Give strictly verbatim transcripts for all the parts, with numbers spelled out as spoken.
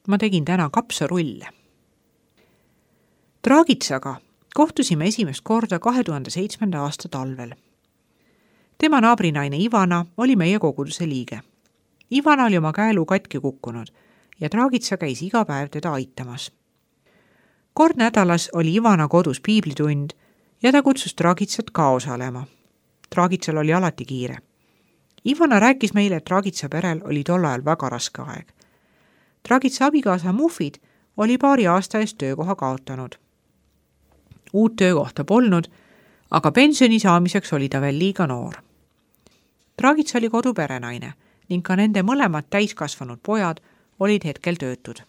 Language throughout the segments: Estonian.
Ma tegin täna kapsarulle. Draagitsaga kohtusime esimest korda kahe tuhande seitsmenda aasta talvel. Tema naabrinaine Ivana oli meie koguduse liige. Ivana oli oma käelu katki kukkunud ja Draagitsa käis iga päev teda aitamas. Kord nädalas oli Ivana kodus piiblitund ja ta kutsus Draagitsat ka osalema. Draagitsal oli alati kiire. Ivana rääkis meile, et Draagitsa perel oli tol ajal väga raske aeg. Draagitsa abikaasa Mufid oli paari aasta eest töökoha kaotanud. Uut töökohta polnud, aga pensioni saamiseks oli ta veel liiga noor. Draagitsa oli koduperenaine ning ka nende mõlemad täiskasvanud pojad olid hetkel töötud.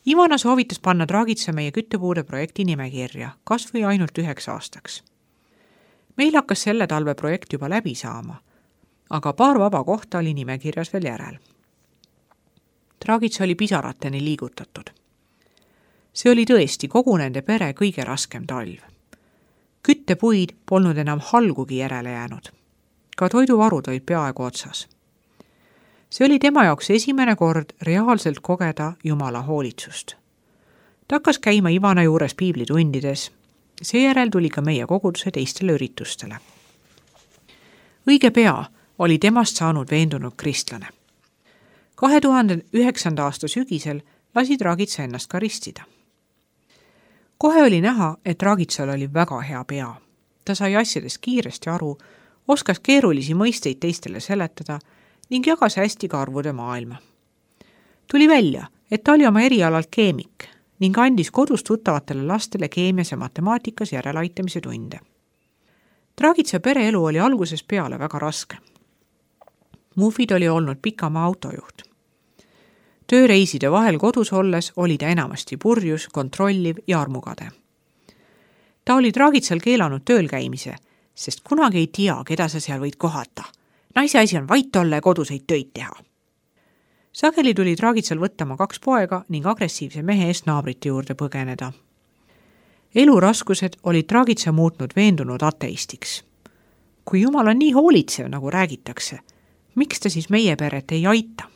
Ivana soovitas panna Draagitsa meie küttepuude projekti nimekirja, kas või ainult üheks aastaks. Meil hakkas selle talve projekt juba läbi saama, aga paar vaba kohta oli nimekirjas veel järel. Draagitsa oli pisarateni liigutatud. See oli tõesti kogu nende pere kõige raskem talv. Küttepuid polnud enam halgugi järele jäänud. Ka toiduvarud olid peaaegu otsas. See oli tema jaoks esimene kord reaalselt kogeda Jumala hoolitsust. Ta hakkas käima Ivana juures piiblitundides. Seejärel tuli ka meie koguduse teistele üritustele. Õige pea oli temast saanud veendunud kristlane. kahe tuhande üheksanda aasta sügisel lasi Draagitsa ennast ka ristida. Kohe oli näha, et Draagitsal oli väga hea pea. Ta sai asjadest kiiresti aru, oskas keerulisi mõisteid teistele seletada ning jagas hästi ka arvude maailma. Tuli välja, et ta oli oma erialalt keemik ning andis kodus tuttavatele lastele keemias ja matemaatikas järelaitamise tunde. Draagitsa pereelu oli algusest peale väga raske. Mufid oli olnud pikamaa autojuht. Tööreiside vahel kodus olles oli ta enamasti purjus, kontrolliv ja armukade. Ta oli Draagitsal keelanud tööl käimise, sest kunagi ei tea, keda sa seal võid kohata. Naise asi on vait olla ja koduseid töid teha. Sageli tuli Draagitsal võttama kaks poega ning agressiivse mehe eest naabrite juurde põgeneda. Eluraskused olid Draagitsa muutnud veendunud ateistiks. Kui Jumal on nii hoolitsev, nagu räägitakse, miks ta siis meie peret ei aita?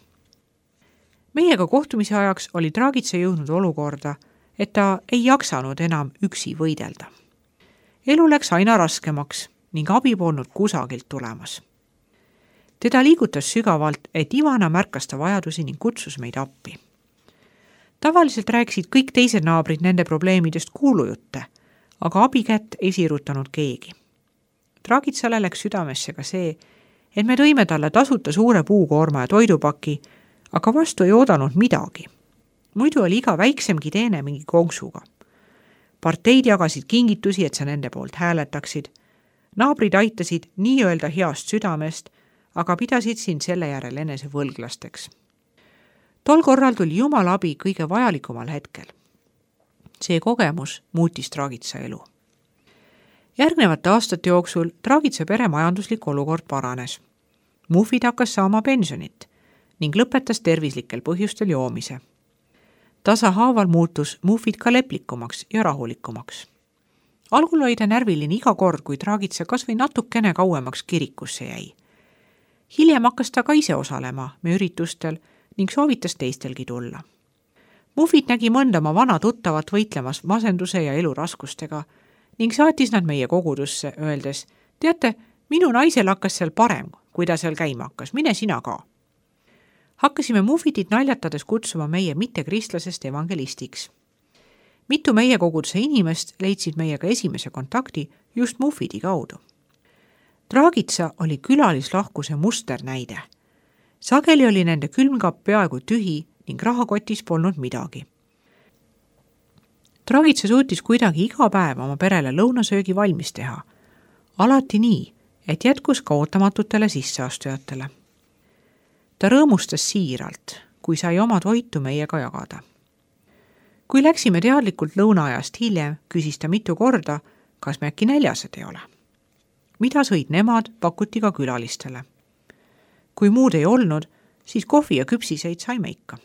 Meiega kohtumise ajaks oli Draagitsa jõudnud olukorda, et ta ei jaksanud enam üksi võidelda. Elu läks aina raskemaks ning abi polnud kusagilt tulemas. Teda liigutas sügavalt, et Ivana märkas ta vajadusi ning kutsus meid appi. Tavaliselt rääkisid kõik teised naabrid nende probleemidest kuulujutte, aga abikätt ei siirutanud keegi. Draagitsale läks südamesse ka see, et me tõime talle tasuta suure puukoorma ja toidupaki, aga vastu ei oodanud midagi. Muidu oli iga väiksemgi teene mingi konksuga. Parteid jagasid kingitusi, et sa nende poolt hääletaksid. Naabrid aitasid nii öelda heast südamest, aga pidasid sind selle järel enese võlglasteks. Tol korral tuli Jumala abi kõige vajalikumal hetkel. See kogemus muutis Draagitsa elu. Järgnevate aastate jooksul Draagitsa pere majanduslik olukord paranes. Mufid hakkas saama pensionit ning lõpetas tervislikel põhjustel joomise. Tasahaaval muutus Mufid ka leplikumaks ja rahulikumaks. Algul oli ta närviline iga kord, kui Draagitsa kas või natukene kauemaks kirikusse jäi. Hiljem hakkas ta ka ise osalema me üritustel ning soovitas teistelgi tulla. Mufid nägi mõnda oma vana tuttavat võitlemas masenduse ja eluraskustega ning saatis nad meie kogudusse, öeldes, teate, minu naisel hakkas seal parem, kui ta seal käima hakkas, mine sina ka. Hakkasime Mufidit naljatades kutsuma meie mittekristlasest evangelistiks. Mitu meie koguduse inimest leidsid meiega esimese kontakti just Mufidi kaudu. Draagitsa oli külalislahkuse musternäide. Sageli oli nende külmkapp peaaegu tühi ning rahakotis polnud midagi. Draagitsa suutis kuidagi iga päev oma perele lõunasöögi valmis teha. Alati nii, et jätkus ka ootamatutele sisseastujatele. Ta rõõmustas siiralt, kui sai oma toitu meiega jagada. Kui läksime teadlikult lõunaajast hiljem, küsis ta mitu korda, kas me äkki näljased ei ole. Mida sõid nemad, pakuti ka külalistele. Kui muud ei olnud, siis kohvi ja küpsiseid saime ikka.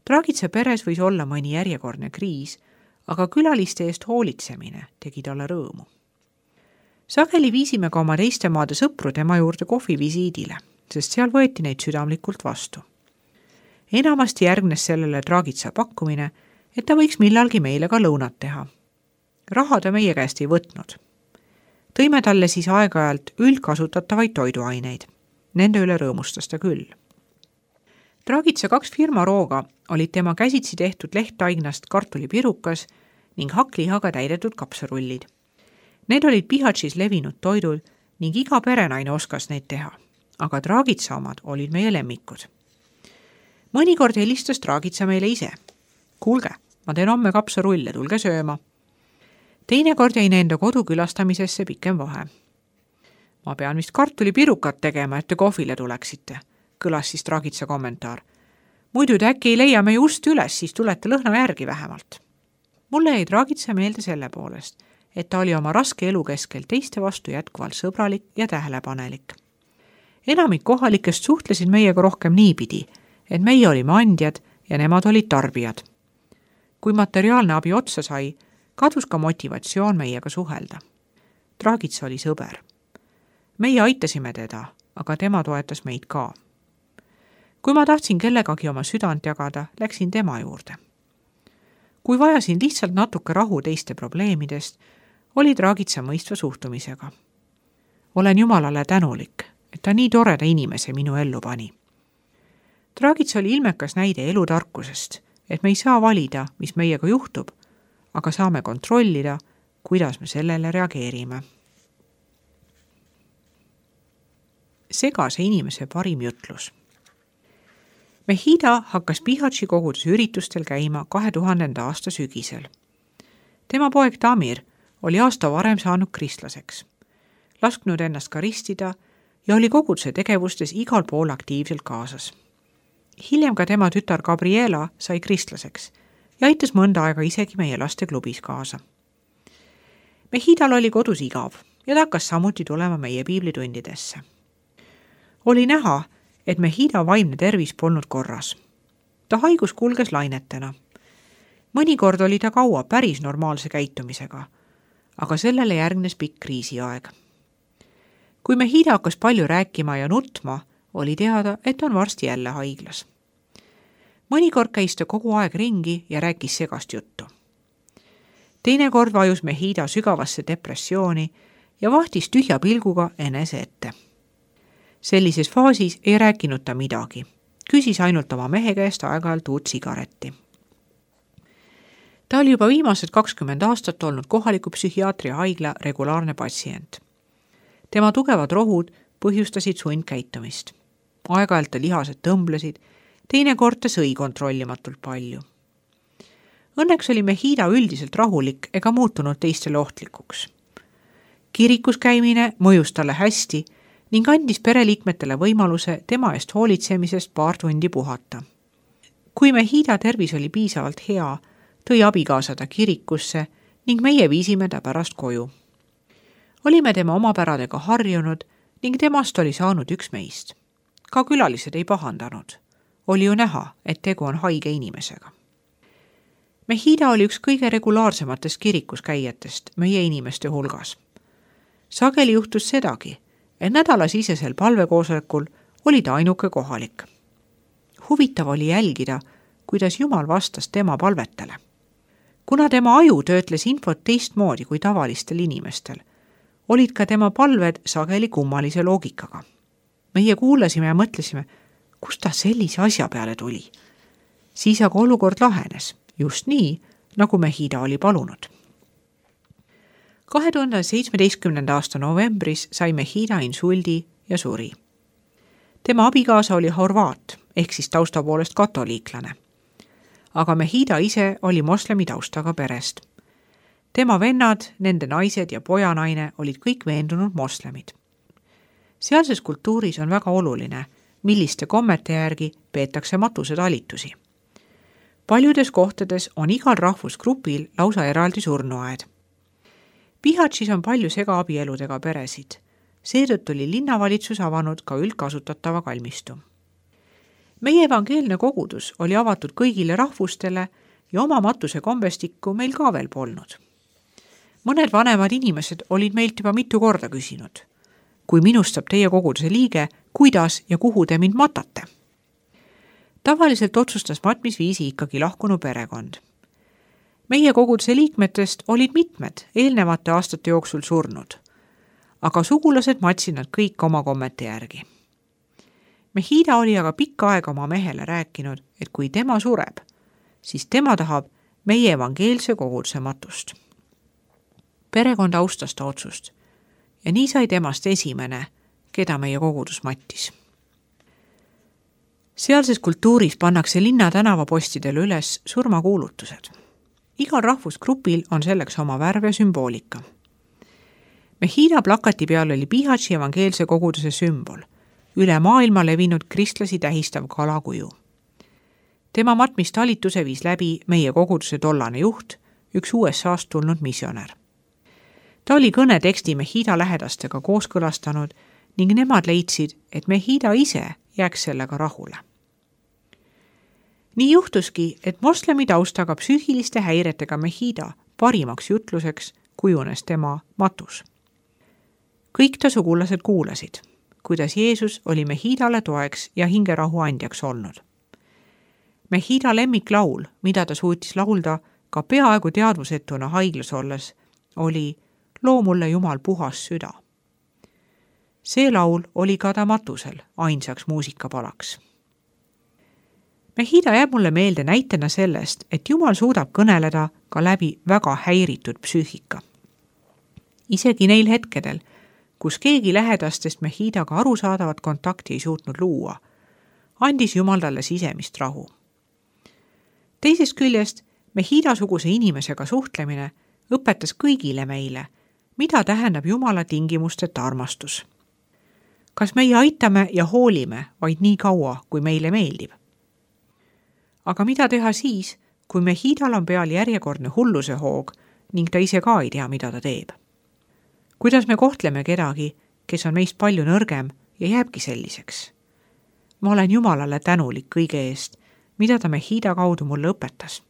Draagitsa peres võis olla mõni järjekordne kriis, aga külaliste eest hoolitsemine tegi talle rõõmu. Sageli viisime ka oma teiste maade sõpru tema juurde kohvivisiidile, sest seal võeti neid südamlikult vastu. enamasti järgnes sellele Dragica pakkumine, et ta võiks millalgi meile ka lõunat teha. Raha ta meie käest ei võtnud. Tõime talle siis aeg-ajalt üldkasutatavaid toiduaineid. Nende üle rõõmustas ta küll. Dragica kaks firma rooga olid tema käsitsi tehtud lehttaignast kartulipirukas ning hakklihaga täidetud kapsarullid. Need olid Bihatšis levinud toidud ning iga perenaine oskas neid teha, aga Dragica omad olid meie lemmikud. Mõnikord helistas Dragica meile ise. Kuulge, ma teen homme kapsarulle, tulge sööma. Teinekord jäi nende kodu külastamisesse pikem vahe. Ma pean vist kartulipirukat tegema, et te kohvile tuleksite, kõlas siis Dragica kommentaar. Muidu te äkki ei leia meie ust üles, siis tulete lõhna järgi vähemalt. Mulle jäi Dragica meelde selle poolest, et ta oli oma raske elu keskel teiste vastu jätkuvalt sõbralik ja tähelepanelik. Enamik kohalikest suhtlesid meiega rohkem niipidi, et meie olime andjad ja nemad olid tarbijad. Kui materiaalne abi otsa sai, kadus ka motivatsioon meiega suhelda. Dragica oli sõber. Meie aitasime teda, aga tema toetas meid ka. Kui ma tahtsin kellegagi oma südant jagada, läksin tema juurde. Kui vajasin lihtsalt natuke rahu teiste probleemidest, oli Dragica mõistva suhtumisega. Olen Jumalale tänulik, et ta nii toreda inimese minu ellu pani. Dragica oli ilmekas näide elutarkusest, et me ei saa valida, mis meiega juhtub, aga saame kontrollida, kuidas me sellele reageerime. Segase inimese parim jutlus. Mehida hakkas Bihatši koguduse üritustel käima kahe tuhandenda aasta sügisel. Tema poeg Tamir oli aasta varem saanud kristlaseks, lasknud ennast karistida ja oli koguduse tegevustes igal pool aktiivselt kaasas. Hiljem ka tema tütar Gabriela sai kristlaseks ja aitas mõnda aega isegi meie lasteklubis kaasa. Mehidal oli kodus igav ja ta hakkas samuti tulema meie piiblitundidesse. Oli näha, et Mehida vaimne tervis polnud korras. Ta haigus kulges lainetena. Mõnikord oli ta kaua päris normaalse käitumisega, aga sellele järgnes pikk kriisiaeg. Kui Mehida hakkas palju rääkima ja nutma, oli teada, et on varsti jälle haiglas. Mõnikord käis ta kogu aeg ringi ja rääkis segast juttu. Teinekord vajus Mehida sügavasse depressiooni ja vahtis tühja pilguga enese ette. Sellises faasis ei rääkinud ta midagi. Küsis ainult oma mehe käest aeg-ajalt uut sigaretti. Ta oli juba viimased kakskümmend aastat olnud kohaliku psühhiaatria haigla regulaarne patsient. Tema tugevad rohud põhjustasid sundkäitumist. Aeg-ajalt ta lihased tõmblesid, teinekord ta sõi kontrollimatult palju. Õnneks oli Mehida üldiselt rahulik ega muutunud teistele ohtlikuks. Kirikus käimine mõjus talle hästi ning andis pereliikmetele võimaluse tema eest hoolitsemisest paar tundi puhata. Kui Mehida tervis oli piisavalt hea, tõi abikaasa ta kirikusse ning meie viisime ta pärast koju. Olime tema omapäradega harjunud ning temast oli saanud üks meist. Ka külalised ei pahandanud. Oli ju näha, et tegu on haige inimesega. Mehida oli üks kõige regulaarsematest kirikus käijatest meie inimeste hulgas. Sageli juhtus sedagi, et nädalasisesel palvekoosolekul oli ta ainuke kohalik. Huvitav oli jälgida, kuidas Jumal vastas tema palvetele. Kuna tema aju töötles infot teistmoodi kui tavalistel inimestel, olid ka tema palved sageli kummalise loogikaga. Meie kuulasime ja mõtlesime, kust ta sellise asja peale tuli. Siis aga olukord lahenes, just nii, nagu Mehida oli palunud. kahe tuhande seitsmeteistkümnenda aasta novembris sai Mehida insuldi ja suri. Tema abikaasa oli horvaat, ehk siis tausta poolest katoliiklane. Aga Mehida ise oli moslemi taustaga perest. Tema vennad, nende naised ja pojanaine olid kõik veendunud moslemid. Sealses kultuuris on väga oluline, milliste kommete järgi peetakse matusetalitusi. Paljudes kohtades on igal rahvusgrupil lausa eraldi surnuaed. Bihatšis on palju segaabieludega peresid. Seetõttu oli linnavalitsus avanud ka üldkasutatava kalmistu. Meie evangeelne kogudus oli avatud kõigile rahvustele ja oma matuse kombestikku meil ka veel polnud. Mõned vanemad inimesed olid meilt juba mitu korda küsinud. Kui minust saab teie koguduse liige, kuidas ja kuhu te mind matate? Tavaliselt otsustas matmisviisi ikkagi lahkunu perekond. Meie koguduse liikmetest olid mitmed eelnevate aastate jooksul surnud, aga sugulased matsid nad kõik oma kommete järgi. Mehida oli aga pikka aega oma mehele rääkinud, et kui tema sureb, siis tema tahab meie evangeelse koguduse matust. Perekond austas ta otsust ja nii sai temast esimene, keda meie kogudus mattis. Sealses kultuuris pannakse linna tänavapostidele üles surmakuulutused. Igal rahvusgrupil on selleks oma värv ja sümboolika. Mehida plakati peal oli Bihaći evangeelse koguduse sümbol, üle maailma levinud kristlasi tähistav kalakuju. Tema matmistalituse viis läbi meie koguduse tollane juht, üks U S A-st tulnud missionär. Ta oli kõne teksti Mehida lähedastega kooskõlastanud ning nemad leidsid, et Mehida ise jääks sellega rahule. Nii juhtuski, et moslemi taustaga psüühiliste häiretega Mehida parimaks jutluseks kujunes tema matus. Kõik ta sugulased kuulasid, kuidas Jeesus oli Mehidale toeks ja hingerahu andjaks olnud. Mehida lemmiklaul, mida ta suutis laulda ka peaaegu teadvusetuna haiglas olles, oli Loo mulle Jumal puhas süda. See laul oli ka ta matusel ainsaks muusikapalaks. Mehida jääb mulle meelde näitena sellest, et Jumal suudab kõneleda ka läbi väga häiritud psüühika. Isegi neil hetkedel, kus keegi lähedastest Mehidaga arusaadavat kontakti ei suutnud luua, andis Jumal talle sisemist rahu. Teisest küljest Mehida-suguse inimesega suhtlemine õpetas kõigile meile, mida tähendab Jumala tingimusteta armastus. Kas meie aitame ja hoolime vaid nii kaua, kui meile meeldib? Aga mida teha siis, kui Mehidal on peal järjekordne hulluse hoog ning ta ise ka ei tea, mida ta teeb? Kuidas me kohtleme kedagi, kes on meist palju nõrgem ja jääbki selliseks? Ma olen Jumalale tänulik kõige eest, mida ta Mehida kaudu mulle õpetas.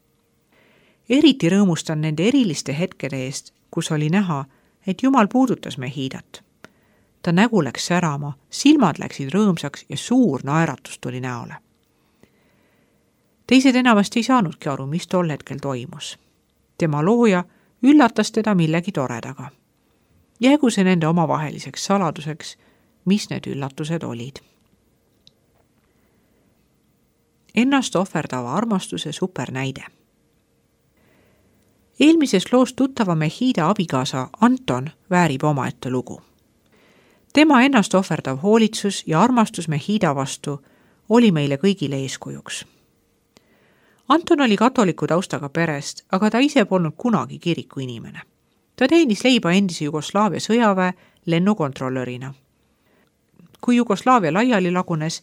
Eriti rõõmustan nende eriliste hetkede eest, kus oli näha, et Jumal puudutas Mehidat. Ta nägu läks särama, silmad läksid rõõmsaks ja suur naeratus tuli näole. Teised enamasti ei saanudki aru, mis tol hetkel toimus. Tema looja üllatas teda millegi toredaga. Jäägu see nende omavaheliseks saladuseks, mis need üllatused olid. Ennast ohverdava armastuse supernäide. Eelmises loos tuttava Mehida abikaasa Anton väärib omaette lugu. Tema ennast ohverdav hoolitsus ja armastus Mehida vastu oli meile kõigile eeskujuks. Anton oli katoliku taustaga perest, aga ta ise polnud kunagi kiriku inimene. Ta teenis leiba endise Jugoslaavia sõjaväe lennukontrolörina. Kui Jugoslaavia laiali lagunes,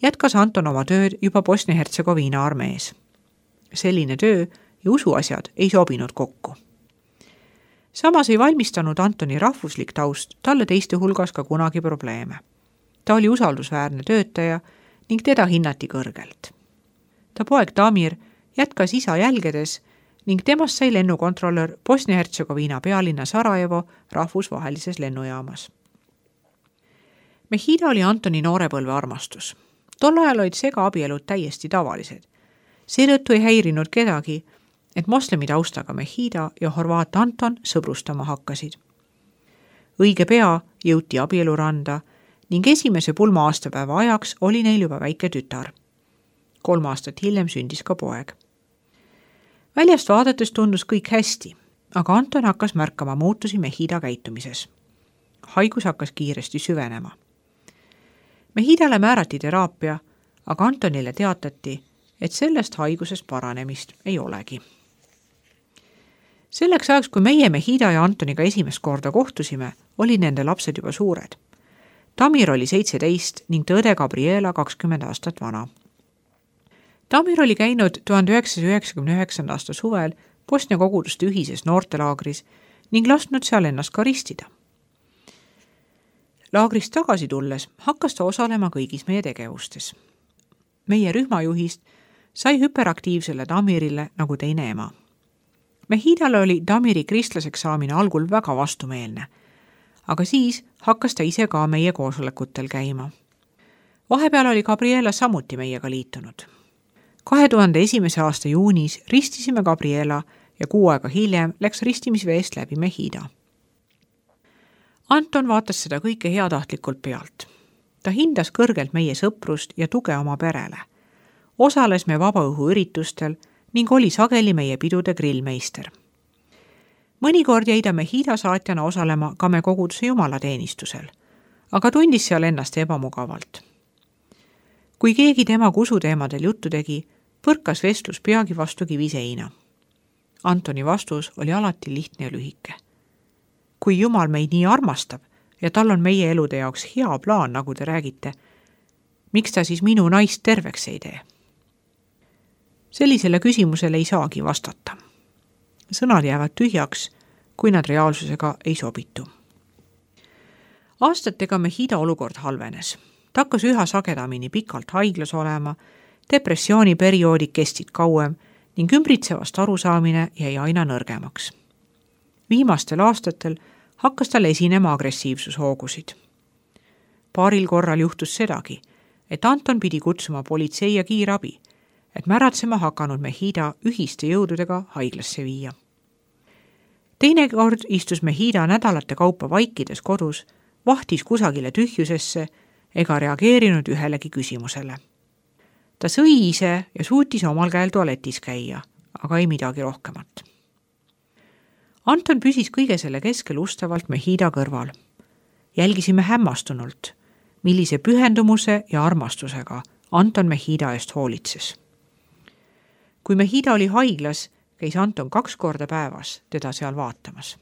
jätkas Anton oma tööd juba Bosnia-Hertsegoviina armees. Selline töö ja usuasjad ei sobinud kokku. Samas ei valmistanud Antoni rahvuslik taust talle teiste hulgas ka kunagi probleeme. Ta oli usaldusväärne töötaja ning teda hinnati kõrgelt. Ta poeg Damir jätkas isa jälgedes ning temast sai lennukontrolör Bosnia-Hertsegoviina pealinna Sarajevo rahvusvahelises lennujaamas. Mehida oli Antoni noorepõlve armastus. Tol ajal olid segaabielud täiesti tavalised. Seetõttu ei häirinud kedagi, et moslemi taustaga Mehida ja horvaat Anton sõbrustama hakkasid. Õige pea jõuti abieluranda ning esimese pulma aastapäeva ajaks oli neil juba väike tütar. Kolm aastat hiljem sündis ka poeg. Väljast vaadates tundus kõik hästi, aga Anton hakkas märkama muutusi Mehida käitumises. Haigus hakkas kiiresti süvenema. Mehidale määrati teraapia, aga Antonile teatati, et sellest haigusest paranemist ei olegi. Selleks ajaks, kui meie Mehida ja Antoniga esimest korda kohtusime, oli nende lapsed juba suured. Damir oli seitseteist ning tõde Gabriela kakskümmend aastat vana. Damir oli käinud tuhande üheksasaja üheksakümne üheksanda aasta suvel Bosnia koguduste ühises noortelaagris ning lasknud seal ennast ka ristida. Laagrist tagasi tulles hakkas ta osalema kõigis meie tegevustes. Meie rühmajuhist sai hüperaktiivsele Damirile nagu teine ema. Mehidale oli Damiri kristlaseks saamine algul väga vastumeelne, aga siis hakkas ta ise ka meie koosolekutel käima. Vahepeal oli Gabriela samuti meiega liitunud. kahe tuhande esimese aasta juunis ristisime Gabriela ja kuu aega hiljem läks ristimisveest läbi Mehida. Anton vaatas seda kõike heatahtlikult pealt. Ta hindas kõrgelt meie sõprust ja tuge oma perele. Osales me vabaõhuüritustel ning oli sageli meie pidude grillmeister. Mõnikord jäi ta Mehida saatjana osalema ka me koguduse jumalateenistusel, aga tundis seal ennast ebamugavalt. Kui keegi tema kusuteemadel juttu tegi, põrkas vestlus peagi vastu kiviseina. Antoni vastus oli alati lihtne ja lühike. Kui Jumal meid nii armastab ja tal on meie elude jaoks hea plaan, nagu te räägite, miks ta siis minu naist terveks ei tee? Sellisele küsimusele ei saagi vastata. Sõnad jäävad tühjaks, kui nad reaalsusega ei sobitu. Aastatega Mehida olukord halvenes. Ta hakkas üha sagedamini pikalt haiglas olema, depressiooniperioodid kestsid kauem ning ümbritsevast arusaamine jäi aina nõrgemaks. Viimastel aastatel hakkas tal esinema agressiivsushoogusid. Paaril korral juhtus sedagi, et Anton pidi kutsuma politsei ja kiirabi, et märatsema hakanud Mehida ühiste jõududega haiglasse viia. Teine kord istus Mehida nädalate kaupa vaikides kodus, vahtis kusagile tühjusesse ega reageerinud ühelegi küsimusele. Ta sõi ise ja suutis omal käel tualetis käia, aga ei midagi rohkemat. Anton püsis kõige selle keskel ustavalt Mehida kõrval. Jälgisime hämmastunult, millise pühendumuse ja armastusega Anton Mehida eest hoolitses. Kui Mehida oli haiglas, käis Anton kaks korda päevas teda seal vaatamas.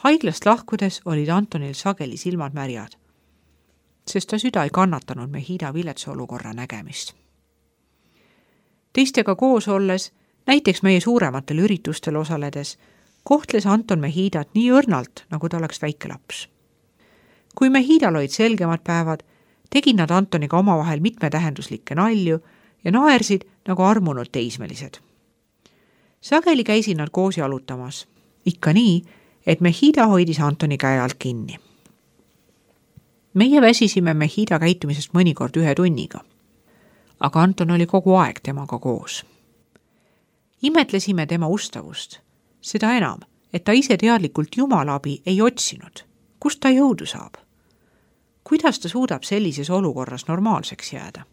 Haiglast lahkudes olid Antonil sageli silmad märjad, sest ta süda ei kannatanud Mehida viletsa olukorra nägemist. Teistega koos olles, näiteks meie suurematel üritustel osaledes, kohtles Anton Mehidat nii õrnalt, nagu ta oleks väike laps. Kui Mehidal olid selgemad päevad, tegid nad Antoniga omavahel mitmetähenduslikke nalju ja naersid nagu armunud teismelised. Sageli käisid nad koos jalutamas, ikka nii, et Mehida hoidis Antoni käe alt kinni. Meie väsisime Mehida käitumisest mõnikord ühe tunniga, aga Anton oli kogu aeg temaga koos. Imetlesime tema ustavust, seda enam, et ta ise teadlikult Jumala abi ei otsinud. Kust ta jõudu saab? Kuidas ta suudab sellises olukorras normaalseks jääda?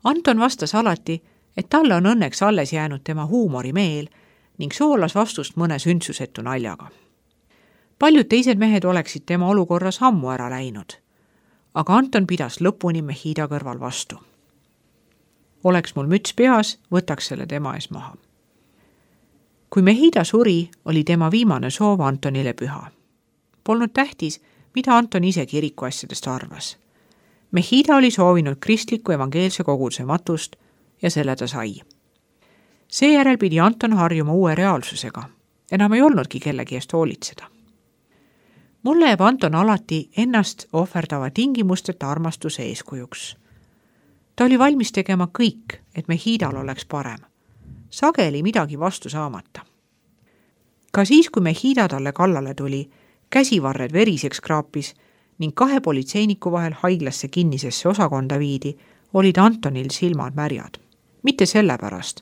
Anton vastas alati, et talle on õnneks alles jäänud tema huumorimeel ning soolas vastust mõne sündsusetu naljaga. Paljud teised mehed oleksid tema olukorras ammu ära läinud, aga Anton pidas lõpuni Mehida kõrval vastu. Oleks mul müts peas, võtaks selle tema ees maha. Kui Mehida suri, oli tema viimane soov Antonile püha. Polnud tähtis, mida Anton ise kiriku asjadest arvas. Mehida oli soovinud kristliku evangeelse koguduse matust ja selle ta sai. Seejärel pidi Anton harjuma uue reaalsusega. Enam ei olnudki kellegi eest hoolitseda. Mulle jääb Anton alati ennast ohverdava tingimusteta armastuse eeskujuks. Ta oli valmis tegema kõik, et Mehidal oleks parem. Sageli midagi vastu saamata. Ka siis, kui Mehida talle kallale tuli, käsivarred veriseks kraapis ning kahe politseiniku vahel haiglasse kinnisesse osakonda viidi, olid Antonil silmad märjad. Mitte sellepärast,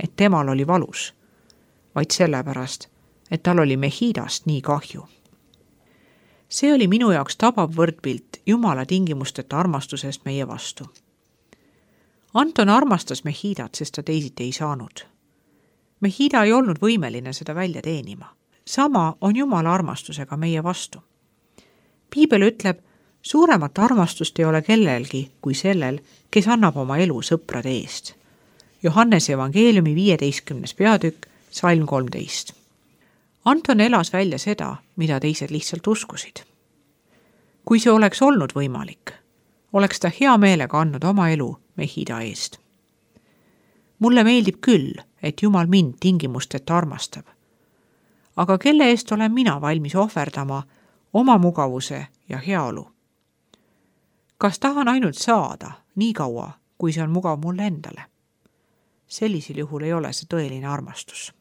et temal oli valus, vaid sellepärast, et tal oli Mehidast nii kahju. See oli minu jaoks tabav võrdpilt Jumala tingimusteta armastusest meie vastu. Anton armastas Mehidat, sest ta teisiti ei saanud. Mehida ei olnud võimeline seda välja teenima. Sama on Jumala armastusega meie vastu. Piibel ütleb, suuremat armastust ei ole kellelgi kui sellel, kes annab oma elu sõprade eest. Johannese evangeeliumi viieteistkümnes peatükk, salm kolmteist. Anton elas välja seda, mida teised lihtsalt uskusid. Kui see oleks olnud võimalik, oleks ta hea meelega andnud oma elu Mehida eest. Mulle meeldib küll, et Jumal mind tingimusteta armastab. Aga kelle eest olen mina valmis ohverdama oma mugavuse ja heaolu? Kas tahan ainult saada nii kaua, kui see on mugav mulle endale? Sellisel juhul ei ole see tõeline armastus.